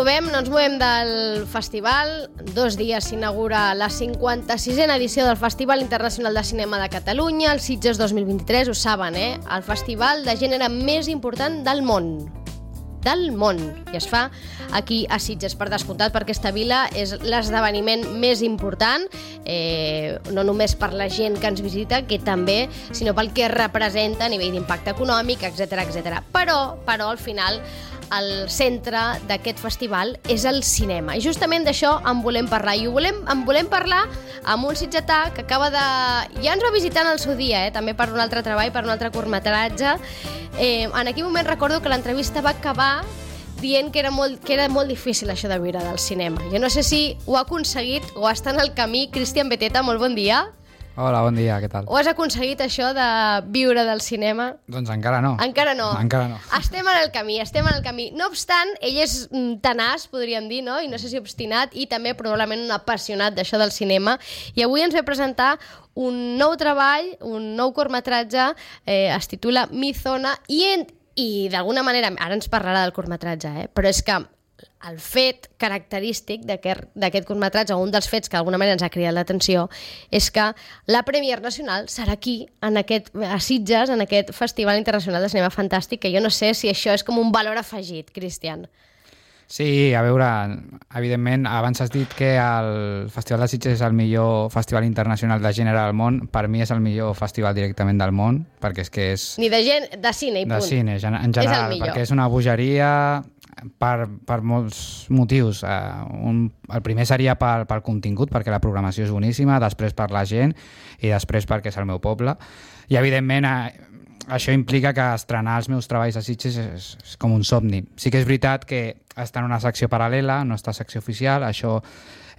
no ens movem del festival. 2 dies s'inaugura la 56a edició del Festival Internacional de Cinema de Catalunya, el Sitges 2023, ho saben, el festival de gènere més important del món. I es fa aquí a Sitges, per descomptat, perquè aquesta vila és l'esdeveniment més important, no només per la gent que ens visita, que també, sinó pel que representa a nivell d'impacte econòmic, etc. Però al final el centre d'aquest festival és el cinema. I justament d'això en volem parlar. I en volem parlar amb un sitgetà que acaba de... Ja ens va visitar en el seu dia, també per un altre treball, per un altre curtmetratge. En aquell moment recordo que l'entrevista va acabar dient que era molt difícil això de viure del cinema. Jo no sé si ho ha aconseguit o està en el camí. Cristian Beteta, molt bon dia. Hola, bon dia, què tal? Ho has aconseguit, això de viure del cinema? Doncs encara no. Encara no. Estem en el camí. No obstant, ell és tenaç, podríem dir, no? I no sé si obstinat, i també probablement un apassionat d'això del cinema. I avui ens ve presentar un nou treball, un nou curtmetratge, es titula Mi Zona, i d'alguna manera, ara ens parlarà del curtmetratge, però és que el fet característic d'aquest curtmetratge, o un dels fets que d'alguna manera ens ha cridat l'atenció, és que la Premier Nacional serà aquí, a Sitges, en aquest Festival Internacional de Cinema Fantàstic, que jo no sé si això és com un valor afegit, Cristian. Sí, a veure, evidentment, abans has dit que el Festival de Sitges és el millor festival internacional de gènere del món. Per mi és el millor festival directament del món, perquè és que és... Ni de cine i punt. De cine, en general, perquè és una bogeria per molts motius. El primer seria pel contingut, perquè la programació és boníssima, després per la gent i després perquè és el meu poble. I, evidentment, això implica que estrenar els meus treballs a Sitges és com un somni. Sí que és veritat que està en una secció paral·lela, no està a secció oficial, això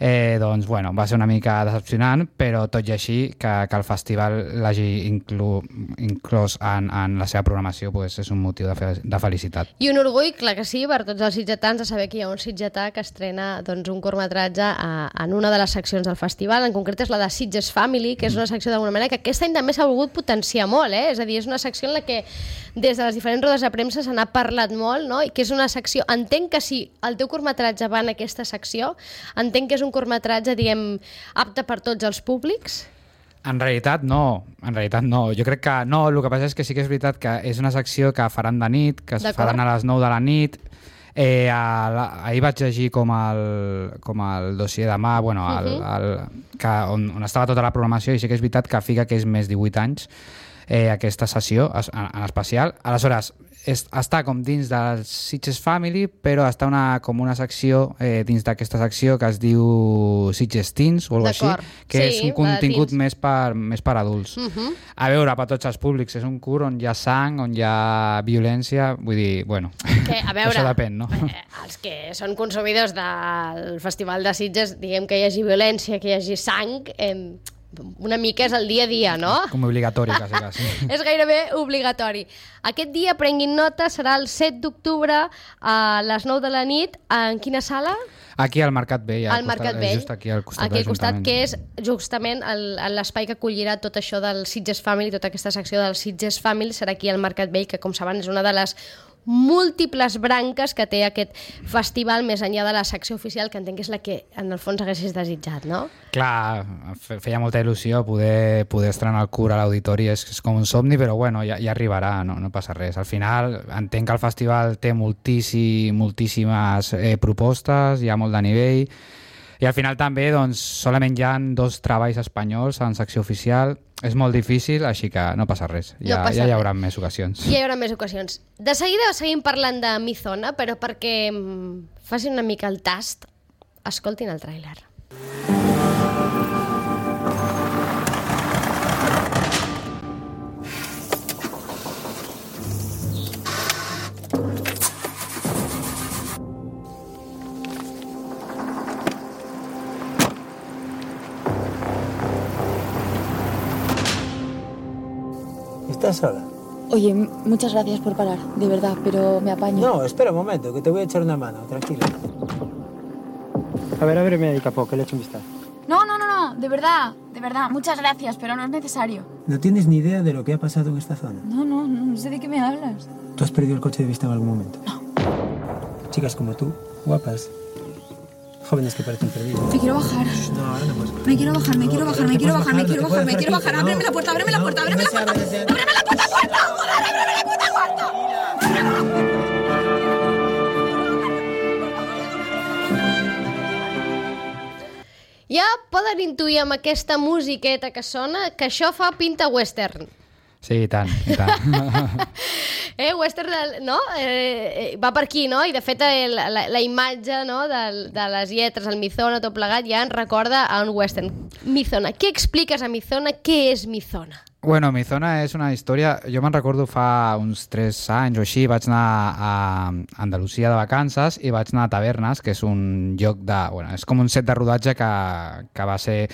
va ser una mica decepcionant, però tot i així que el festival l'hagi inclòs en la seva programació és un motiu de felicitat. I un orgull, clar que sí, per tots els sitgetans, de saber que hi ha un sitgetà que estrena un curtmetratge en una de les seccions del festival. En concret és la de Sitges Family, que és una secció d'alguna manera que aquest any també s'ha volgut potenciar molt, és a dir, és una secció en la que des de les diferents rodes de premsa se n'ha parlat molt, no? I que és una secció... Entenc que si el teu curtmetratge va en aquesta secció, entenc que és un curtmetratge, diguem, apte per tots els públics? En realitat no. Jo crec que no, el que passa és que sí que és veritat que és una secció que faran de nit, que es faran a les 9 de la nit. Ahir vaig llegir com el dossier de mà, on estava tota la programació, i sí que és veritat que fica que és més 18 anys aquesta sessió en especial. Aleshores, està com dins del Sitges Family, però està com una secció dins d'aquesta secció que es diu Sitges Teens o alguna cosa així, que és un contingut més per adults. A veure, per tots els públics, és un curt on hi ha sang, on hi ha violència, vull dir, això depèn, no? Els que són consumidors del Festival de Sitges, diguem que hi hagi violència, que hi hagi sang, una mica és el dia a dia, no? Com obligatori, quasi. És gairebé obligatori. Aquest dia, prenguin nota, serà el 7 d'octubre a les 9 de la nit. En quina sala? Aquí al Mercat Vell. Just aquí al costat de l'Ajuntament. Que és justament l'espai que acollirà tot això del Sitges Family, tota aquesta secció del Sitges Family serà aquí al Mercat Vell, que com saben és una de les múltiples branques que té aquest festival més enllà de la secció oficial, que entenc que és la que en el fons haguessis desitjat, no? Clar, feia molta il·lusió poder estrenar el curt a l'auditori, és com un somni, però ja arribarà, no passa res. Al final entenc que el festival té moltíssimes propostes, hi ha molt de nivell, i al final també solament hi ha 2 treballs espanyols en secció oficial. És molt difícil, així que no passa res. Ja hi haurà més ocasions. De seguida seguim parlant de Mi Zona, però perquè facin una mica el tast, escoltin el tràiler. ¿Estás sola? Oye, muchas gracias por parar, de verdad, pero me apaño. No, espera un momento, que te voy a echar una mano, tranquila. A ver, me dedica poco, que le echo un vistazo. No, de verdad, muchas gracias, pero no es necesario. ¿No tienes ni idea de lo que ha pasado en esta zona? No sé de qué me hablas. ¿Tú has perdido el coche de vista en algún momento? No. chicas como tú, guapas, jóvenes que parecen perdidos. Me quiero bajar. No, ahora no puedes. Me quiero bajar. Ábreme la puerta. Ábreme la puerta. Ábreme la puta puerta. Joder, ábreme la puta puerta. Ja poden intuir amb aquesta musiqueta que sona que això fa pinta western. Sí, i tant, i tant. Western, no? Va per aquí, no? I de fet la imatge, no? de les lletres, el Mizona, tot plegat, ja ens recorda a un western. Mizona. Què expliques a Mizona? Què és Mizona? Bueno, Mizona és una història... Jo me'n recordo fa uns 3 anys o així, vaig anar a Andalusia de vacances i vaig anar a Tavernes, que és un lloc de... Bueno, és com un set de rodatge que va ser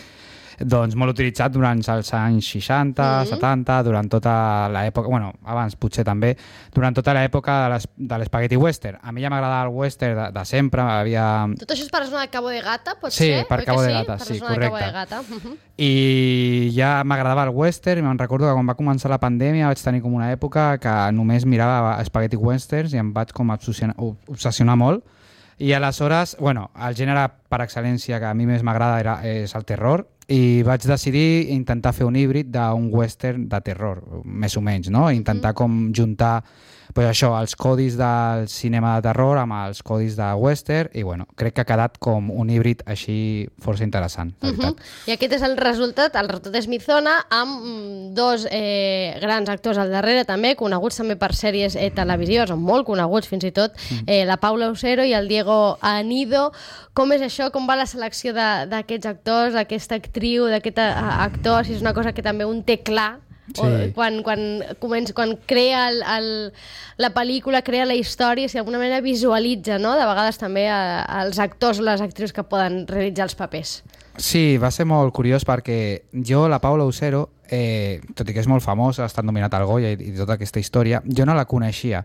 doncs, molt utilitzat durant els anys 60, 70, durant tota l'època... Bueno, abans potser també, durant tota l'època de l'espagueti western. A mi ja m'agradava el western de sempre. Tot això és per la zona de Cabo de Gata, pot ser? Sí, per Cabo de Gata, sí, correcte. I ja m'agradava el western i me'n recordo que quan va començar la pandèmia vaig tenir com una època que només mirava espagueti westerns i em vaig com obsessionar molt. I aleshores, bueno, el gènere per excel·lència que a mi més m'agrada és el terror i vaig decidir intentar fer un híbrid d'un western de terror, més o menys, no? Intentar com juntar pues això, els codis del cinema de terror amb els codis de western i bueno, crec que ha quedat com un híbrid així força interessant, la veritat. I aquest és el resultat és Mizona, amb 2 grans actors al darrere també, coneguts també per sèries televisives, o molt coneguts fins i tot, la Paula Usero i el Diego Anido. Com és això? Com va la selecció d'aquests actors, d'aquesta actriu, d'aquest actor? Si és una cosa que també un té clar, sí. Quan crea la pel·lícula, crea la història, si d'alguna manera visualitza, no? De vegades també els actors o les actrius que poden realitzar els papers. Sí, va ser molt curiós perquè jo, la Paula Usero, tot i que és molt famosa, ha estat nominat al Goya i tota aquesta història, jo no la coneixia.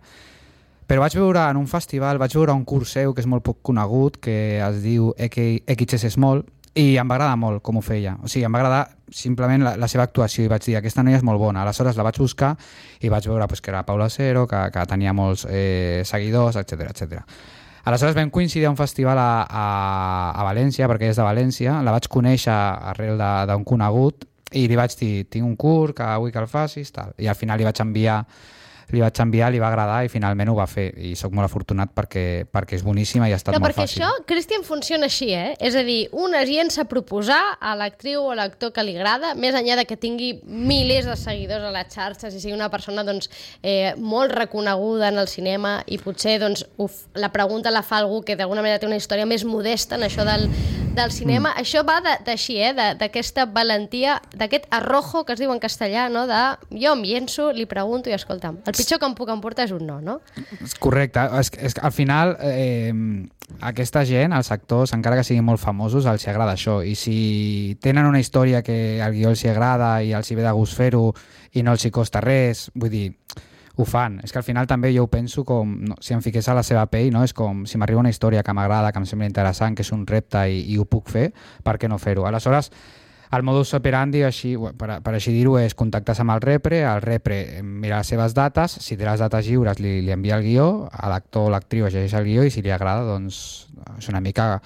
Però vaig veure en un festival, vaig veure un curs seu que és molt poc conegut, que es diu XS Small, i em va agradar molt com ho feia. O sigui, em va agradar simplement la seva actuació i vaig dir, aquesta noia és molt bona. Aleshores la vaig buscar i vaig veure que era Paula Usero, que tenia molts seguidors, etc. Aleshores vam coincidir a un festival a València, perquè és de València, la vaig conèixer arrel d'un conegut i li vaig dir, tinc un curs que vull que el facis, tal. I al final li vaig enviar, li va agradar i finalment ho va fer i sóc molt afortunat perquè és boníssima i ha estat molt fàcil. Perquè això, Cristian, funciona així, És a dir, un es llença a proposar a l'actriu o a l'actor que li agrada, més enllà de que tingui milers de seguidors a les xarxes i sigui una persona doncs, molt reconeguda en el cinema i potser doncs, la pregunta la fa algú que d'alguna manera té una història més modesta en això del cinema. Això va d'així, d'aquesta valentia, d'aquest arrojo que es diu en castellà, no? De jo em llenço, li pregunto i escolta'm, el pitjor que em puc emportar és un no? Correcte. És que al final aquesta gent, els actors, encara que siguin molt famosos, els agrada això. I si tenen una història que al guió els agrada i els hi ve de gust fer-ho i no els hi costa res, vull dir, ho fan. És que al final també jo ho penso com, si em fiqués a la seva pell, no? És com si m'arriba una història que m'agrada, que em sembla interessant, que és un repte i ho puc fer, per què no fer-ho? Aleshores, el modus operandi, així, per així dir-ho, és contactar amb el repre mira les seves dates, si té les dates lliures li envia el guió, a l'actor o l'actriu llegeix el guió i si li agrada, doncs és una mica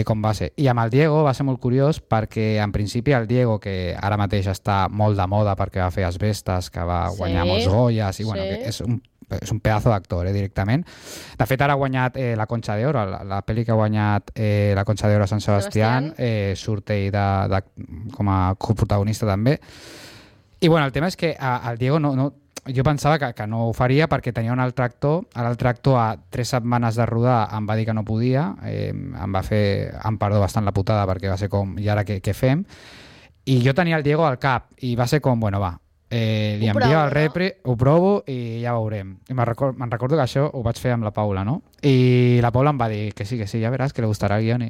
com va ser. I amb el Diego va ser molt curiós perquè en principi el Diego, que ara mateix està molt de moda perquè va fer Asbestes, que va guanyar molts Goyas, i bueno, que és un pedazo d'actor, directament. De fet, ara ha guanyat la Concha de Oro, la pel·li que ha guanyat la Concha de Oro a Sant Sebastián, surt ell com a coprotagonista també. I bueno, el tema és que el Diego jo pensava que no ho faria perquè tenia un altre actor. L'altre actor a 3 setmanes de rodar em va dir que no podia, em va fer, em perdó bastant la putada perquè va ser com, i ara què fem? I jo tenia el Diego al cap i va ser com, bueno, va, li envio el repre, ho provo i ja veurem. I me'n recordo que això ho vaig fer amb la Paula, no? I la Paula em va dir que sí, ja veràs que li gustarà el guion.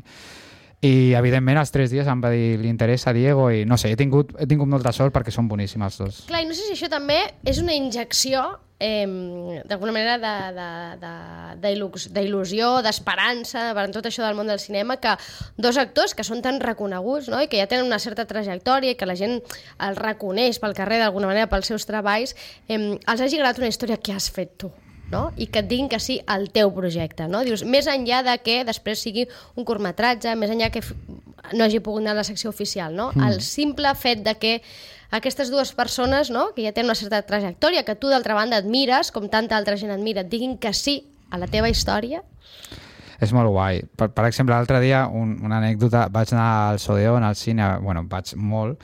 I evidentment als 3 dies em va dir li interessa Diego i no sé, he tingut molta sort perquè són boníssims els dos. Clar, i no sé si això també és una injecció d'alguna manera d'il·lusió, d'esperança per tot això del món del cinema, que 2 actors que són tan reconeguts, no? I que ja tenen una certa trajectòria i que la gent els reconeix pel carrer d'alguna manera pels seus treballs, els hagi agradat una història que has fet tu. no? I que et diguin que sí al teu projecte, no? Dius, més enllà de que després sigui un curtmetratge, més enllà que no hagi pogut anar a la secció oficial, no? El simple fet de que aquestes dues persones, no?, que ja tenen una certa trajectòria, que tu d'altra banda admires, com tanta altra gent admira, et diguin que sí a la teva història. És molt guai. Per exemple, l'altre dia, una anècdota, vaig anar al Sodeón, al cine, bueno, vaig molt,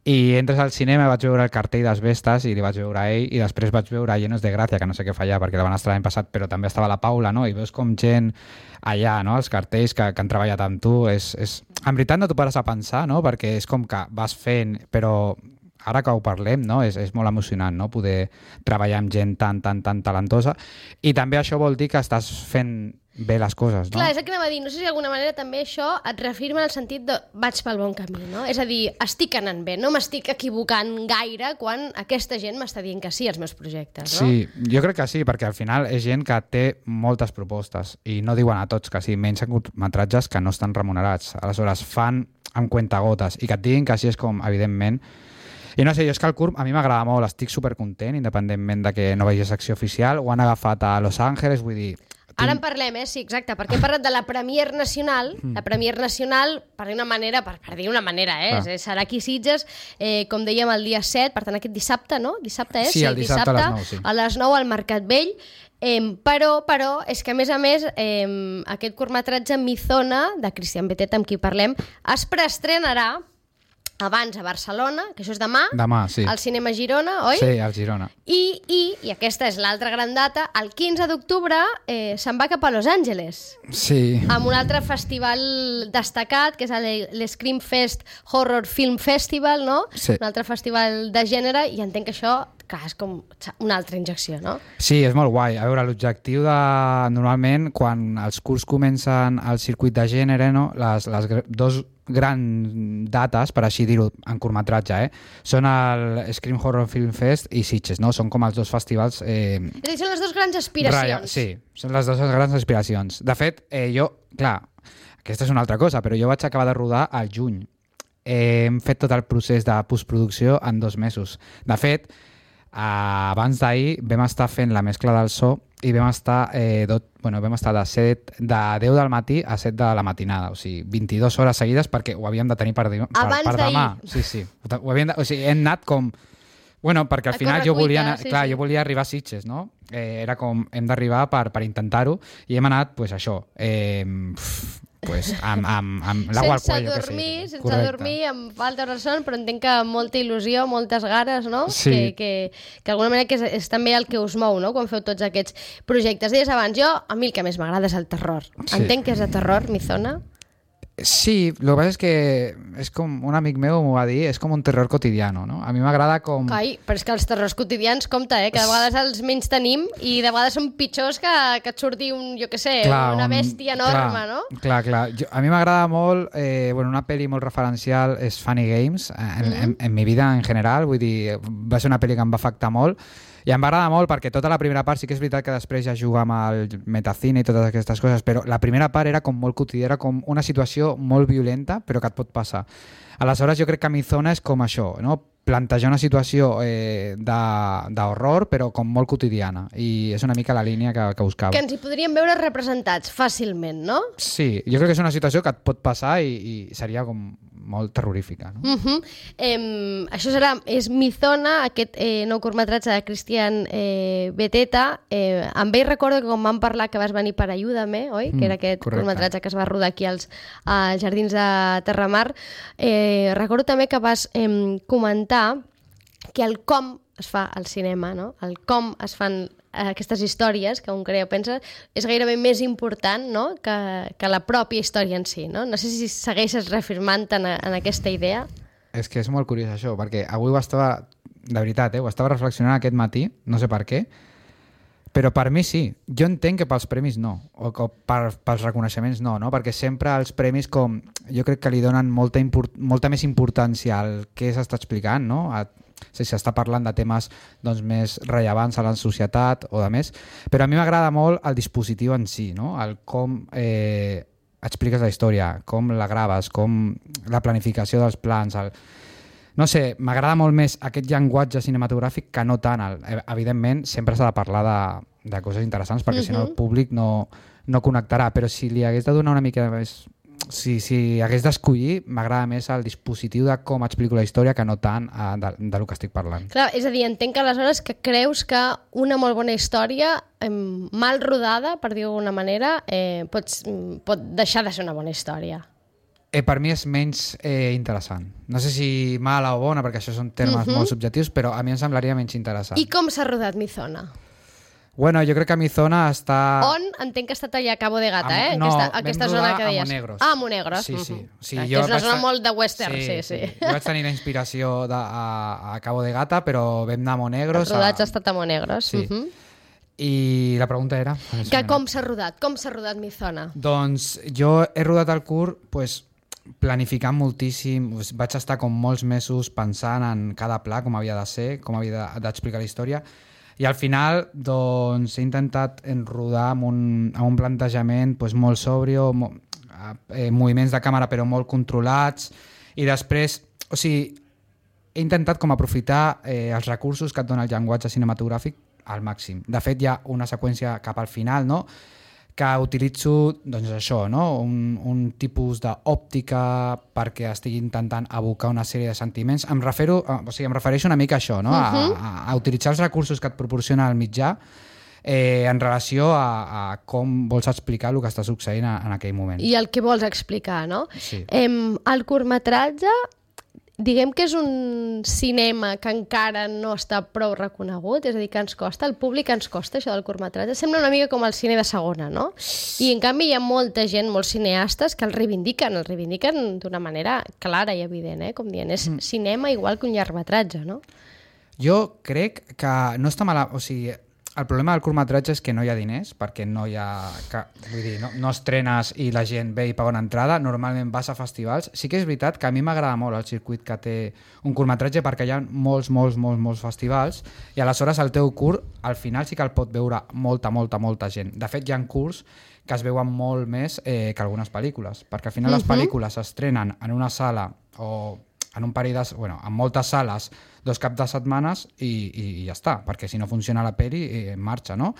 i entres al cinema, vaig veure el cartell d'Asbestas i li vaig veure a ell, i després vaig veure a Llenos de Gràcia, que no sé què fa allà, perquè la van estar l'any passat, però també estava la Paula, no? I veus com gent allà, no?, els cartells que han treballat amb tu. En veritat no t'ho pares a pensar, no?, perquè és com que vas fent, però ara que ho parlem, no? És molt emocionant, no?, poder treballar amb gent tan talentosa, i també això vol dir que estàs fent bé les coses, no? Clar, és el que anava a dir. No sé si d'alguna manera també això et reafirma en el sentit de vaig pel bon camí, no? És a dir, estic anant bé, no m'estic equivocant gaire quan aquesta gent m'està dient que sí als meus projectes, no? Sí, jo crec que sí, perquè al final és gent que té moltes propostes i no diuen a tots que sí, menys en curtmetratges que no estan remunerats. Aleshores, fan amb cuentagotes i que et diguin que sí és com, evidentment. I no sé, jo és que el curt a mi m'agrada molt, estic supercontent, independentment de que no vegi secció oficial, ho han agafat a Los Angeles, vull dir... Ara en parlem, sí, exacte, perquè hem parlat de la Premier Nacional. La Premier Nacional, per dir una manera, serà aquí a Sitges, com dèiem, el dia 7, per tant aquest dissabte, no? Dissabte és? Sí, el dissabte a les 9, sí. A les 9 al Mercat Vell. Però és que a més aquest curtmetratge Mizona, de Cristian Beteta, amb qui parlem, es preestrenarà abans a Barcelona, que això és demà, sí. Al Cinema Girona, oi? Sí, al Girona. I aquesta és l'altra gran data, el 15 d'octubre se'n va cap a Los Angeles. Sí. Amb un altre festival destacat, que és l'Scream Fest Horror Film Festival, no? Sí. Un altre festival de gènere, i entenc que això, clar, és com una altra injecció, no? Sí, és molt guai. A veure, l'objectiu de... Normalment, quan els curts comencen al circuit de gènere, no? Les dos grans dates, per així dir-ho, en curtmetratge, són el Scream Horror Film Fest i Sitges, no? Són com els dos festivals... És a dir, són les dues grans aspiracions. Sí, són les dues grans aspiracions. De fet, jo, clar, aquesta és una altra cosa, però jo vaig acabar de rodar al juny. Hem fet tot el procés de postproducció en 2 mesos. De fet, abans d'ahir vam estar fent la mescla del so i vam estar de 10 del matí a 7 de la matinada, o sigui, 22 hores seguides, perquè ho havíem de tenir per demà. Sí. Hem anat com... Bueno, perquè al final jo volia arribar a Sitges, no? Era com, hem d'arribar per intentar-ho, i hem anat, pues això, amb l'agua al cuello. Sense dormir, amb falta de son, però entenc que amb molta il·lusió, moltes ganes, no? Sí. Que d'alguna manera que és també el que us mou, no?, quan feu tots aquests projectes. Deies abans, a mi el que més m'agrada és el terror. Sí. Entenc que és de terror, Mizona? Sí, el que passa és que és com un amic meu m'ho va dir, és com un terror quotidiano, no? A mi m'agrada com... Ai, però és que els terrors quotidians, compte, que de vegades els menys tenim i de vegades són pitjors que et surti una bèstia enorme, no? Clar. A mi m'agrada molt, una pel·li molt referencial és Funny Games, en mi vida en general, vull dir, va ser una pel·li que em va afectar molt, i em va agradar molt perquè tota la primera part, sí que és veritat que després ja juga amb el metacine i totes aquestes coses, però la primera part era com molt quotidiana, com una situació molt violenta, però que et pot passar. Aleshores jo crec que Mizona és com això, no? Plantejar una situació d'horror, però com molt quotidiana, i és una mica la línia que buscava. Que ens hi podríem veure representats fàcilment, no? Sí, jo crec que és una situació que et pot passar i seria com molt terrorífica, no? Això és Mizona, aquest nou curtmetratge de Cristian Beteta. Amb ell recordo que quan vam parlar que vas venir per Ayúdame, oi? Que era aquest curtmetratge que es va rodar aquí als Jardins de Terramar. Recordo també que vas comentar que el com es fa al cinema, no? El com es fan aquestes històries, que un creu, pensa, és gairebé més important, no?, que la pròpia història en si, no? No sé si segueixes reafirmant en aquesta idea. És que és molt curiós això, perquè avui de veritat, ho estava reflexionant aquest matí, no sé per què, però per mi sí. Jo entenc que pels premis no, o que pels reconeixements no, perquè sempre els premis jo crec que li donen molta més importància al que s'està explicant, no? Si s'està parlant de temes més rellevants a la societat o de més, però a mi m'agrada molt el dispositiu en si, no? El com expliques la història, com la graves, com la planificació dels plans, no sé, m'agrada molt més aquest llenguatge cinematogràfic que no tant. Evidentment, sempre s'ha de parlar de coses interessants, perquè si no el públic no connectarà, però si li hagués de donar una mica més... Si hagués d'escollir, m'agrada més el dispositiu de com explico la història que no tant del que estic parlant. Clar, és a dir, entenc que aleshores que creus que una molt bona història, mal rodada, per dir-ho d'alguna manera, pot deixar de ser una bona història. Per mi és menys interessant. No sé si mala o bona, perquè això són termes molt subjectius, però a mi em semblaria menys interessant. I com s'ha rodat Mi Zona? Bueno, jo crec que Mi Zona està... On? Entenc que ha estat allà a Cabo de Gata, No, aquesta vam zona rodar que deies. a Monegros. Ah, a Monegros. Sí. Que és una zona molt de western, sí. Jo vaig tenir la inspiració a Cabo de Gata, però vam anar a Monegros. El rodatge ha estat a Monegros. Sí. I la pregunta era... Que com s'ha rodat? Com s'ha rodat Mi Zona? Doncs jo he rodat el curt planificant moltíssim, vaig estar com molts mesos pensant en cada pla, com havia de ser, com havia d'explicar la història, i al final doncs, he intentat rodar amb un plantejament molt sòbrio, moviments de càmera però molt controlats, i després, o sigui, he intentat com aprofitar els recursos que et dona el llenguatge cinematogràfic al màxim. De fet, hi ha una seqüència cap al final, no?, que utilitzo, doncs això, no? un tipus d'òptica perquè estigui intentant evocar una sèrie de sentiments. Em refereixo una mica a això, no? A utilitzar els recursos que et proporciona el mitjà en relació a com vols explicar el que està succeint en aquell moment. I el que vols explicar, no? Sí. El curtmetratge, diguem que és un cinema que encara no està prou reconegut, és a dir, que ens costa, el públic ens costa això del curtmetratge. Sembla una mica com el cine de segona, no? I en canvi hi ha molta gent, molts cineastes que el reivindiquen d'una manera clara i evident, com dient, és cinema igual que un llargmetratge, no? Jo crec que no està mal... O sigui, el problema del curtmetratge és que no hi ha diners, perquè no hi ha... Vull dir, no estrenes i la gent ve i paga una entrada, normalment vas a festivals. Sí que és veritat que a mi m'agrada molt el circuit que té un curtmetratge perquè hi ha molts festivals i aleshores el teu curt al final sí que el pot veure molta gent. De fet, hi ha curts que es veuen molt més que algunes pel·lícules, perquè al final les pel·lícules s'estrenen en una sala o en un parell en moltes sales 2 caps de setmanes i ja està, perquè si no funciona la peli marxa, no?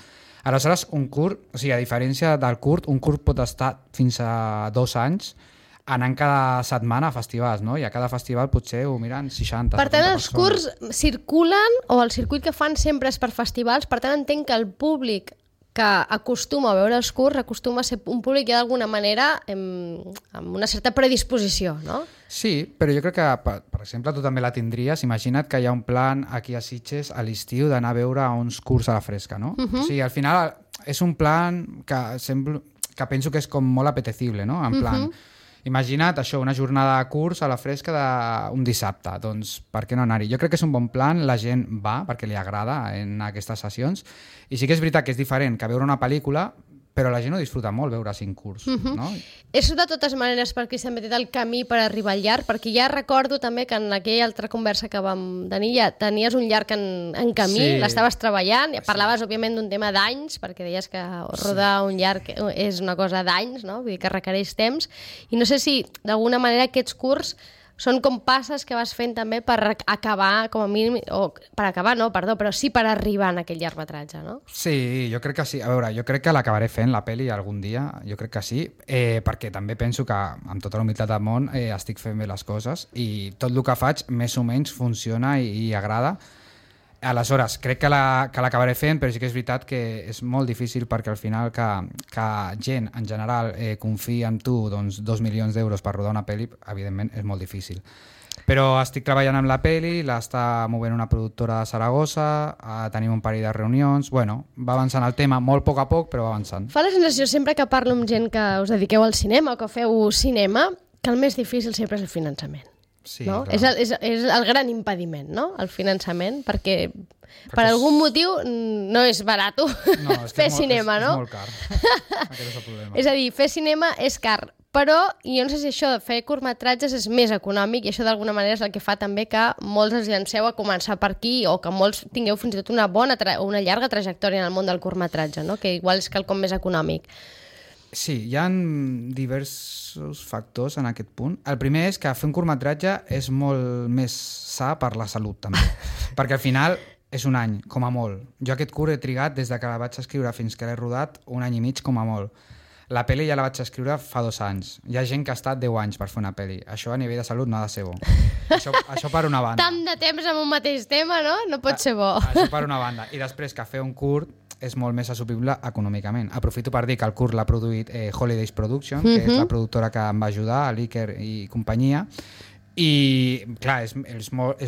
Aleshores, un curt, o sigui, a diferència del curt, un curt pot estar fins a 2 anys anant cada setmana a festivals, no? I a cada festival potser ho miren 60, 70 persones. Per tant, els curts circulen, o el circuit que fan sempre és per festivals, per tant entenc que el públic que acostuma a veure els curts acostuma a ser un públic que d'alguna manera amb una certa predisposició, no? Sí, però jo crec que, per exemple, tu també la tindries. Imagina't que hi ha un plan aquí a Sitges a l'estiu d'anar a veure uns curts a la fresca, no? O sigui, al final és un plan que penso que és com molt apetecible, no? En plan, imagina't això, una jornada de curs a la fresca d'un dissabte, doncs per què no anar-hi? Jo crec que és un bon plan, la gent va perquè li agrada en aquestes sessions, i sí que és veritat que és diferent que veure una pel·lícula, però la gent ho disfruta molt veure 5 curts, no? És de totes maneres per qui s'ha metit el camí per arribar al llarg, perquè ja recordo també que en aquella altra conversa que vam tenir ja tenies un llarg en camí, l'estaves treballant, parlaves òbviament d'un tema d'anys, perquè deies que rodar un llarg és una cosa d'anys, no? Vull dir que requereix temps, i no sé si d'alguna manera aquests curts són com passes que vas fent també per acabar, com a mínim, o per acabar no, perdó, però sí per arribar en aquell llargmetratge, no? Sí, jo crec que sí. A veure, jo crec que l'acabaré fent, la pel·li, algun dia, jo crec que sí, perquè també penso que, amb tota la humilitat del món, estic fent bé les coses i tot el que faig, més o menys, funciona i agrada. Aleshores, crec que l'acabaré fent, però sí que és veritat que és molt difícil perquè al final que gent, en general, confiï en tu 2 milions d'euros per rodar una pel·li, evidentment és molt difícil. Però estic treballant amb la pel·li, l'està movent una productora de Saragossa, tenim un parell de reunions, bueno, va avançant el tema, molt a poc, però va avançant. Fa la sensació sempre que parlo amb gent que us dediqueu al cinema o que feu cinema, que el més difícil sempre és el finançament. Sí, no? És el gran impediment, no? El finançament, perquè per algun motiu no és barat fer cinema, no? És molt car. Aquest és el problema. És a dir, fer cinema és car, però jo no sé si això de fer curtmetratges és més econòmic, i això d'alguna manera és el que fa també que molts es llanceu a començar per aquí, o que molts tingueu fins i tot una llarga trajectòria en el món del curtmetratge, no? Que igual és quelcom més econòmic. Sí, hi ha diversos factors en aquest punt. El primer és que fer un curtmetratge és molt més sa per la salut, també. Perquè al final és un any, com a molt. Jo aquest curt he trigat des de que la vaig escriure fins que l'he rodat 1 any i mig, com a molt. La pel·li ja la vaig escriure fa 2 anys. Hi ha gent que ha estat 10 anys per fer una pel·li. Això a nivell de salut no ha de ser bo. Això per una banda. Tant de temps amb un mateix tema, no? No pot ser bo. Això per una banda. I després que fer un curt és molt més assumible econòmicament. Aprofito per dir que el curt l'ha produït Holidays Production, que és la productora que em va ajudar, l'Iker i companyia, i clar, és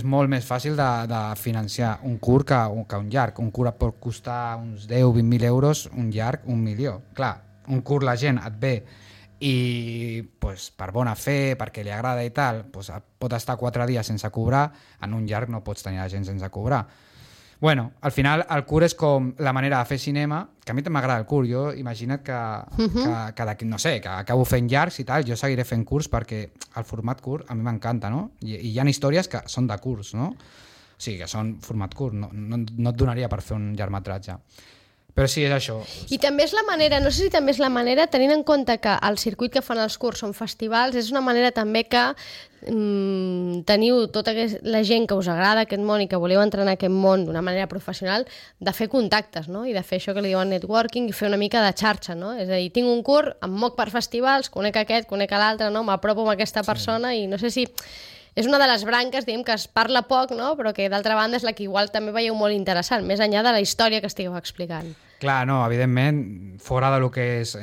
molt més fàcil de financiar un curt que un llarg. Un curt pot costar uns 10-20.000 euros, un llarg 1 milió. Clar, un curt la gent et ve i pues, per bona fe, perquè li agrada i tal, pues, pot estar 4 dies sense cobrar, en un llarg no pots tenir la gent sense cobrar. Bueno, al final el curt és com la manera de fer cinema, que a mi m'agrada el curt. Jo imagina't que no sé, que acabo fent llargs i tal, jo seguiré fent curts perquè el format curt a mi m'encanta, no? I hi ha històries que són de curts, no? O sigui, que són format curt, no et donaria per fer un llargmetratge. Però sí, és això. I també és la manera, no sé si també és la manera, tenint en compte que el circuit que fan els curts són festivals, és una manera també que teniu tota la gent que us agrada aquest món i que voleu entrar en aquest món d'una manera professional, de fer contactes, no? I de fer això que li diuen networking i fer una mica de xarxa, no? És a dir, tinc un curt, em moc per festivals, conec aquest, conec l'altre, no? M'apropo amb aquesta persona i no sé si... És una de les branques, diguem, que es parla poc, no? Però que d'altra banda és la que igual també veieu molt interessant, més enllà de la història que estigueu explicant. Clar, no, evidentment, fora de lo que és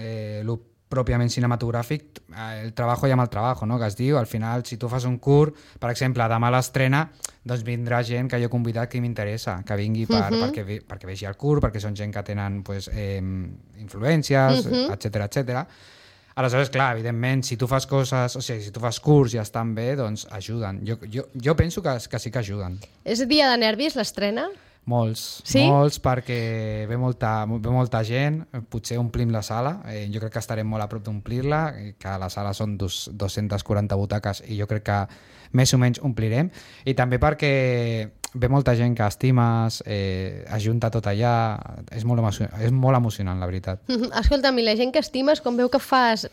lo pròpiament cinematogràfic, el treball llama el treball, no? Que es diu, al final, si tu fas un curt, per exemple, demà a l'estrena, doncs vindrà gent que jo he convidat que m'interessa, que vingui perquè vegi el curt, perquè són gent que tenen pues, influències, etcètera. Aleshores, clar, evidentment, si tu fas coses, o sigui, si tu fas curts i estan bé, doncs ajuden. Jo penso que sí que ajuden. És dia de nervis, l'estrena? Molts, sí? Molts, perquè ve molta gent, potser omplim la sala, jo crec que estarem molt a prop d'omplir-la, que la sala són 240 butaques i jo crec que més o menys omplirem, i també perquè ve molta gent que estimes, ajunta tot allà, és molt emocionant, la veritat. Escolta'm, i la gent que estimes, quan veu que fas...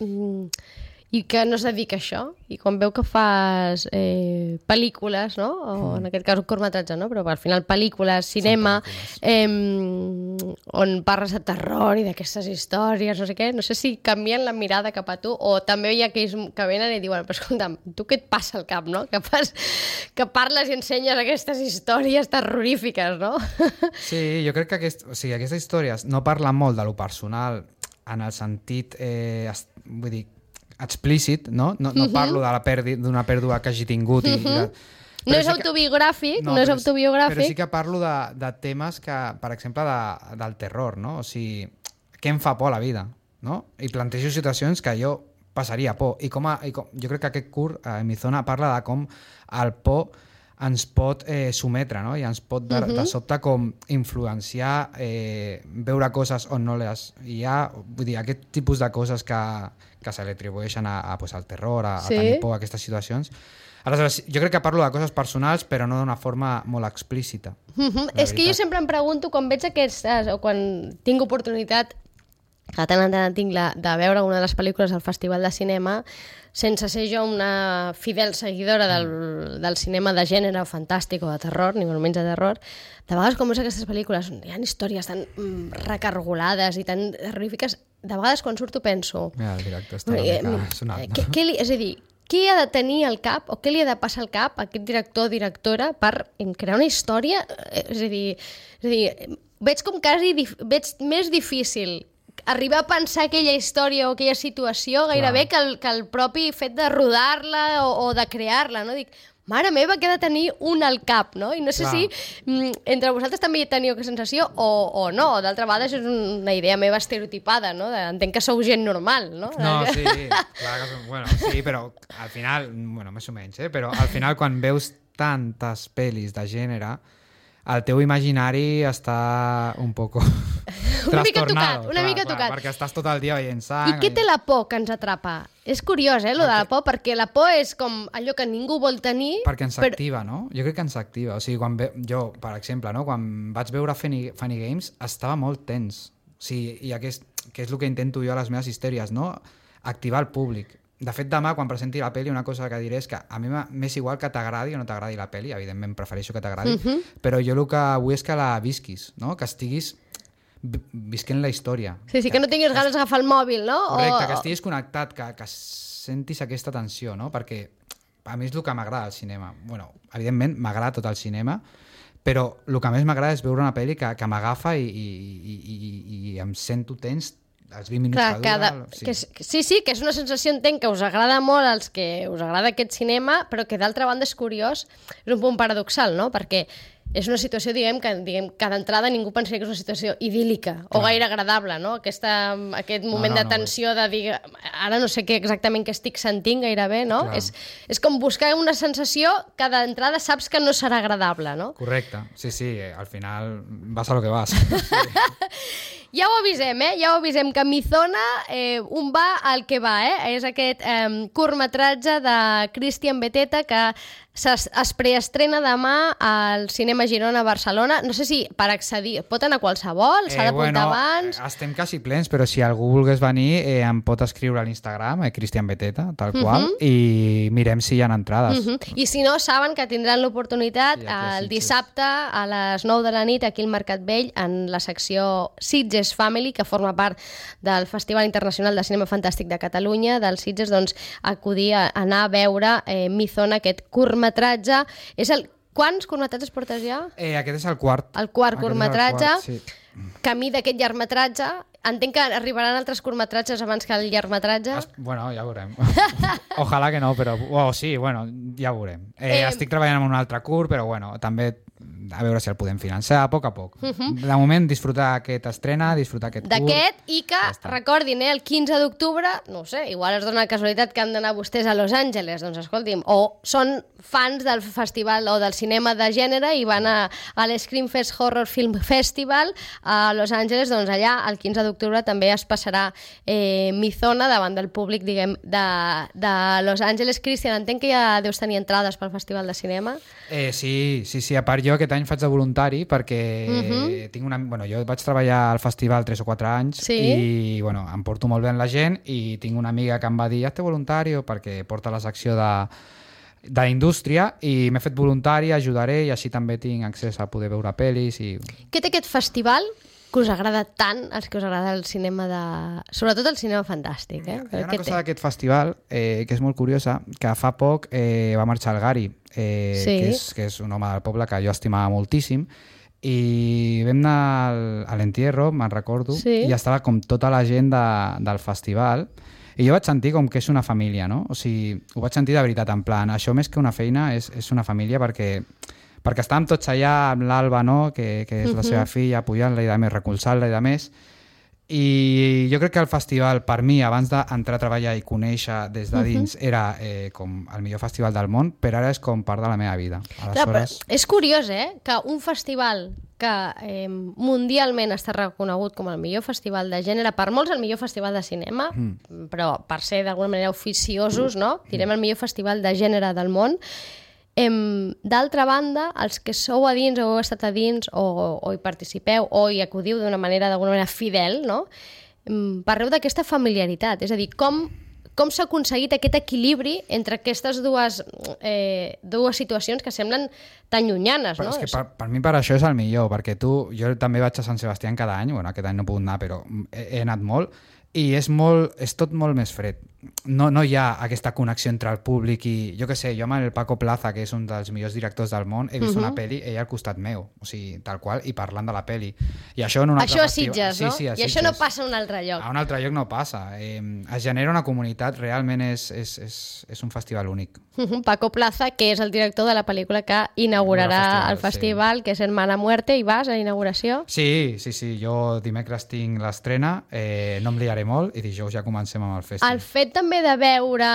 i que no es dedica a això, i quan veu que fas pel·lícules, no? O en aquest cas un curtmetratge, no? Però al final pel·lícules, cinema, on parles de terror i d'aquestes històries, no sé què, no sé si canvien la mirada cap a tu, o també hi ha aquells que venen i diuen, però escolta'm, tu què et passa al cap, no? Que parles i ensenyes aquestes històries terrorífiques, no? Sí, jo crec que aquestes històries no parlen molt de lo personal en el sentit, vull dir, explícit, no? No parlo d'una pèrdua que hagi tingut. No és autobiogràfic, però sí que parlo de temes que, per exemple, del terror, no? O sigui, què em fa por a la vida, no? I plantejo situacions que jo passaria por. I jo crec que aquest curt, en mi zona, parla de com el por ens pot sometre, no? I ens pot de sobte com influenciar, veure coses on no les hi ha, vull dir, aquest tipus de coses que se li atribueixen al terror, a tenir por, a aquestes situacions. Aleshores, jo crec que parlo de coses personals, però no d'una forma molt explícita. És que jo sempre em pregunto, quan veig aquestes, o quan tinc oportunitat, que tant en tant tinc de veure una de les pel·lícules del Festival de Cinema, sense ser jo una fidel seguidora del cinema de gènere fantàstic o de terror, ni molt menys de terror, de vegades quan veus aquestes pel·lícules hi ha històries tan recargolades i tan terrorífiques, de vegades quan surto penso... Mira, el directe està una mica sonat. És a dir, què ha de tenir al cap o què li ha de passar al cap a aquest director o directora per crear una història? És a dir, veig com quasi més difícil arribar a pensar aquella història o aquella situació gairebé que el propi fet de rodar-la o de crear-la, no? Dic, mare meva, que ha de tenir un al cap, no? I no sé si entre vosaltres també teniu aquesta sensació o no, o d'altra banda és una idea meva estereotipada, no? Entenc que sou gent normal, no? No, sí, clar que bueno, sí, però al final, bueno, més o menys, però al final quan veus tantes pel·lis de gènere, el teu imaginari està un poco trastornado. Una mica tocat. Perquè estàs tot el dia veient sang. I què té la por que ens atrapa? És curiós, lo de la por, perquè la por és com allò que ningú vol tenir... Perquè ens activa, no? Jo crec que ens activa. O sigui, jo, per exemple, no? Quan vaig veure Funny Games, estava molt tens. O sigui, i que és el que intento jo a les meves històries, no? Activar el públic. De fet, demà, quan presenti la pel·li, una cosa que diré és que a mi m'és igual que t'agradi o no t'agradi la pel·li, evidentment prefereixo que t'agradi, però jo el que vull és que la visquis, no? Que estiguis visquent la història. Sí, que no tinguis ganes d'agafar el mòbil, no? Correcte, que estiguis connectat, que sentis aquesta tensió, no? Perquè a mi és el que m'agrada al cinema. Bueno, evidentment m'agrada tot el cinema, però el que més m'agrada és veure una pel·li que m'agafa i em sento tens els 20 minuts que dura... Sí, que és una sensació, entenc, que us agrada molt als que us agrada aquest cinema, però que d'altra banda és curiós, és un punt paradoxal, no? Perquè és una situació, diguem que d'entrada ningú pensaria que és una situació idíl·lica o gaire agradable, no? Aquest moment de tensió de dir, ara no sé exactament què estic sentint gairebé, no? És com buscar una sensació que d'entrada saps que no serà agradable, no? Correcte, sí, al final vas a lo que vas. Ja ho avisem, ja ho avisem, que Mizona un va al que va, és aquest curtmetratge de Cristian Beteta que es preestrena demà al Cinema Girona a Barcelona. No sé si per accedir pot anar qualsevol, s'ha d'apuntar abans... Estem quasi plens, però si algú volgués venir em pot escriure a l'Instagram, Cristian Beteta, tal qual, i mirem si hi ha entrades. I si no, saben que tindran l'oportunitat el dissabte a les 9 de la nit aquí al Mercat Vell en la secció Sitges Family, que forma part del Festival Internacional de Cinema Fantàstic de Catalunya, del Sitges, doncs acudir a anar a veure Mizona, aquest curtmetratge. Quants curtmetratges portes ja? Aquest és el quart. El quart curtmetratge. Sí. Camí d'aquest llargmetratge. Entenc que arribaran altres curtmetratges abans que el llargmetratge. Bueno, ja veurem. Ojalà que no, però... sí, bueno, ja veurem. Estic treballant en un altre curt, però bueno, també a veure si el podem financiar a poc a poc. De moment, disfrutar aquest estrena, disfrutar aquest curt. D'aquest, i que, recordin, el 15 d'octubre, no sé, igual es dona la casualitat que han d'anar vostès a Los Angeles, doncs escolti'm, o són fans del festival o del cinema de gènere i van a l'Screamfest Horror Film Festival a Los Angeles, doncs allà el 15 d'octubre també es passarà Mizona davant del públic, diguem, de Los Angeles. Cristian, entenc que ja deus tenir entrades pel Festival de Cinema. Sí, a part jo aquest any faig de voluntari perquè tinc jo vaig treballar al festival 3 o 4 anys i em porto molt bé amb la gent i tinc una amiga que em va dir hazte voluntario perquè porta la secció d'indústria i m'he fet voluntari, ajudaré i així també tinc accés a poder veure pel·lis. Què té aquest festival que us agrada tant, els que us agrada el cinema sobretot el cinema fantàstic? Hi ha una cosa d'aquest festival que és molt curiosa, que fa poc va marxar el Gary, que és un home del poble que jo estimava moltíssim, i vam anar a l'entierro, me'n recordo, i estava com tota la gent del festival, i jo vaig sentir com que és una família, no? O sigui, ho vaig sentir de veritat, en plan, això més que una feina és una família perquè estàvem tots allà amb l'Alba, no? que és la seva filla, apoyant-la i de més, recolzant-la i de més. I jo crec que el festival, per mi, abans d'entrar a treballar i conèixer des de dins, era com el millor festival del món, però ara és com part de la meva vida. Aleshores... És curiós, que un festival que mundialment està reconegut com el millor festival de gènere, per molts el millor festival de cinema, però per ser d'alguna manera oficiosos, no? Direm el millor festival de gènere del món. D'altra banda, els que sou a dins o heu estat a dins o hi participeu o hi acudiu d'alguna manera fidel, no? Parleu d'aquesta familiaritat, és a dir, com s'ha aconseguit aquest equilibri entre aquestes dues situacions que semblen tan llunyanes, no? És que per mi per això és el millor, perquè jo també vaig a Sant Sebastià cada any, aquest any no he pogut anar, però he anat molt, i és tot molt més fred. No hi ha aquesta connexió entre el públic i... Jo què sé, jo amb el Paco Plaza, que és un dels millors directors del món, he vist una pel·li, ell al costat meu, o sigui, tal qual, i parlant de la pel·li. I això en un altre festival... Això a Sitges, no? Sí, a Sitges. I això no passa a un altre lloc. A un altre lloc no passa. Es genera una comunitat, realment és un festival únic. Paco Plaza, que és el director de la pel·lícula que inaugurarà el festival, que és Hermana Muerte, i vas a la inauguració? Sí, jo dimecres tinc l'estrena, no em liaré molt, i dijous ja comencem amb el festival. El fet també de veure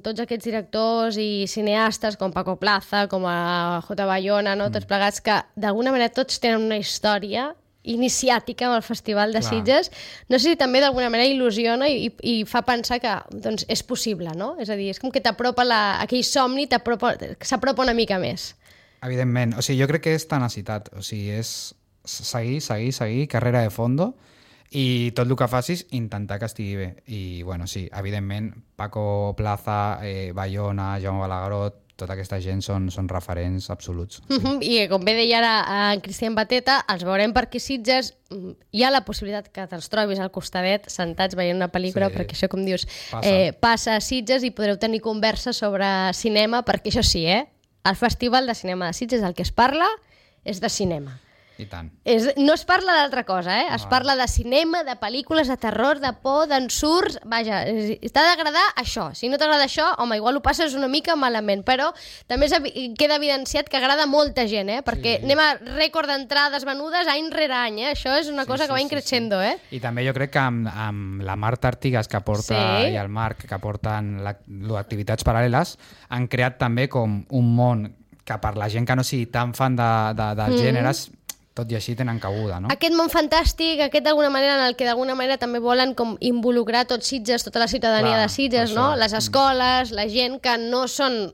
tots aquests directors i cineastes com Paco Plaza, com a J. Bayona, no? Tots plegats, que d'alguna manera tots tenen una història iniciàtica amb el Festival de Sitges, no sé si també d'alguna manera il·lusiona i fa pensar que doncs, és possible, no? És a dir, és com que t'apropa aquell somni, s'apropa una mica més. Evidentment, o sigui, jo crec que és tenacitat, o sigui, és seguir, carrera de fondo, i tot el que facis, intentar que estigui bé. I, bueno, sí, evidentment, Paco Plaza, Bayona, Jaume Balagueró, tota aquesta gent són referents absoluts. I com bé deia ara en Cristian Bateta, els veurem per aquí Sitges. Hi ha la possibilitat que te'ls trobis al costadet, sentats veient una pel·lícula, perquè això, com dius, passa a Sitges i podreu tenir conversa sobre cinema, perquè això sí, el Festival de Cinema de Sitges del que es parla és de cinema. I tant. No es parla d'altra cosa, es parla de cinema, de pel·lícules, de terror, de por, d'ensurts. Vaja, t'ha d'agradar això. Si no t'agrada això, home, igual ho passes una mica malament, però també queda evidenciat que agrada molta gent, perquè anem a rècord d'entrades venudes any rere any, Això és una cosa que va increixendo, I també jo crec que amb la Marta Artigas que porta i el Marc que porten activitats paral·leles han creat també com un món que per la gent que no sigui tan fan dels gèneres, tot i així tenen cabuda, no? Aquest món fantàstic, d'alguna manera, en el que d'alguna manera també volen com involucrar tots Sitges, tota la ciutadania de Sitges, no? Les escoles, la gent que no són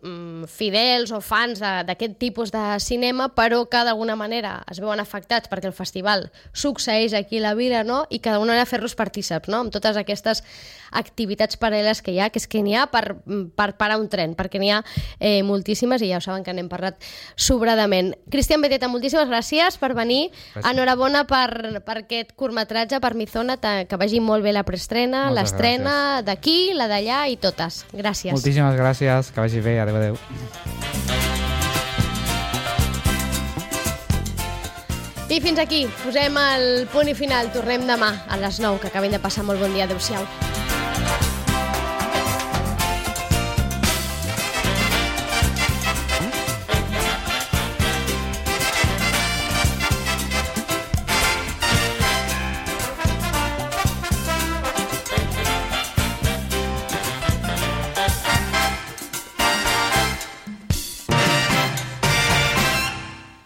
fidels o fans d'aquest tipus de cinema, però que d'alguna manera es veuen afectats perquè el festival succeeix aquí a la vila, no? I que d'alguna manera fer-los partíceps, no? Amb totes aquestes activitats paral·leles que hi ha, que és que n'hi ha per parar un tren, perquè n'hi ha moltíssimes i ja ho saben que n'hem parlat sobradament. Cristian Bateta, moltíssimes gràcies per venir. Enhorabona per aquest curtmetratge, per Mizona, que vagi molt bé la preestrena, l'estrena d'aquí, la d'allà i totes. Gràcies. Moltíssimes gràcies, que vagi bé, adeu. I fins aquí, posem el punt i final. Tornem demà a les 9, que acabem de passar molt bon dia. Adéu-siau.